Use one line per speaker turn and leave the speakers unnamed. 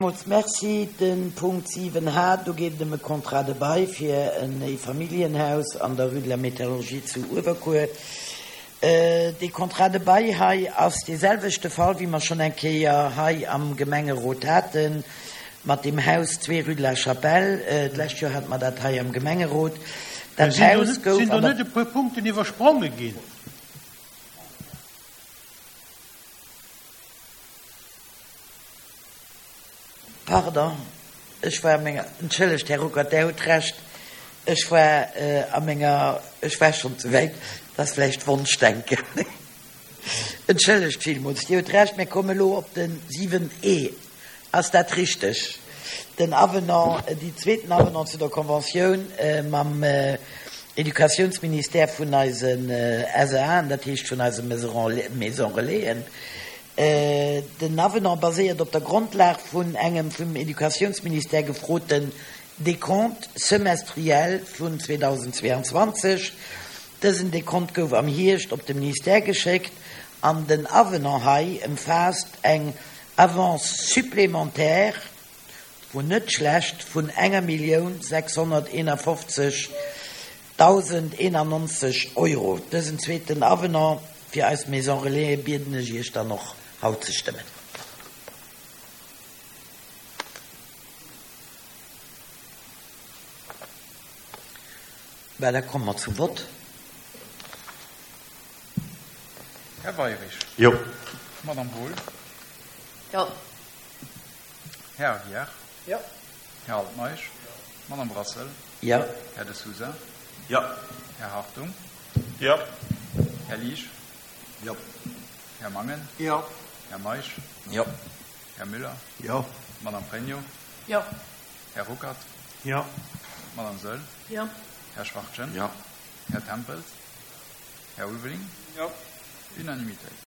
Villmools Merci. De Punkt 7 H, do geet et ëm e Contrat de bail fir en Eefamilljenhaus an der Rue de la Métallurgie zu Uewerkuer. Dee Contrat de bail hei ass dee selwechte Fall, wéi mer schonn eng Kéier hei am Gemengerot hate mat deem Haus 2 Rue de la Chapelle. D'lescht Joer hate mer dat hei am Gemengerot. Dat Haus gouf
Sinn do
an der.
net e puer Punkten iwwerspronge ginn?
Pardon, ech war a menger, entschëllegt, Här Ruckert, Der hutt Recht, ech war a menger, ech war schonn ze wäit, dat ass vläicht Wonschdenken. Entschëllegt villmools, Dir hutt Recht, mir kommen elo op de 7 e. Ass dat richteg? Den Avenant, déi zweeten Avenant zu der Conventioun mam Educatiounsministère vun eisen SAen, dat heescht vun eise Maison Relaisen, Den Avenant baséiert op der Grondlag vun engem vum Educatiounsministère gefroten Décompte semestriel vun 2022. Dësen Décompte gouf am Hierscht op de Ministère geschéckt an den Avenant hei ëmfaasst eng Avance supplémentaire, wou net schlecht, vun enger 1.651. 1.091 Euro. Dësen zweeten Avenant fir eis Maison Relaisen bieden ech Iech dann och haut ze stëmmen. Bah, da komme mer zum Vott.
Här Weirich.
Jo.
Madame Wohl.
Jo.
Här Aguiar.
Jo.
Här Altmeisch. Madame Brassel.
Jo.
Här De Sousa.
Jo.
Här Hartung.
Jo.
Här Liesch.
Jo.
Här Mangen.
Jo.
Här Meisch.
Jo.
Här Müller.
Jo.
Madame Pregno.
Jo.
Här Ruckert.
Jo.
Madame Saeul.
Jo.
Här Schwachtgen.
Jo.
Här Tempels. Här Ulveling.
Jo.
Unanimitéit.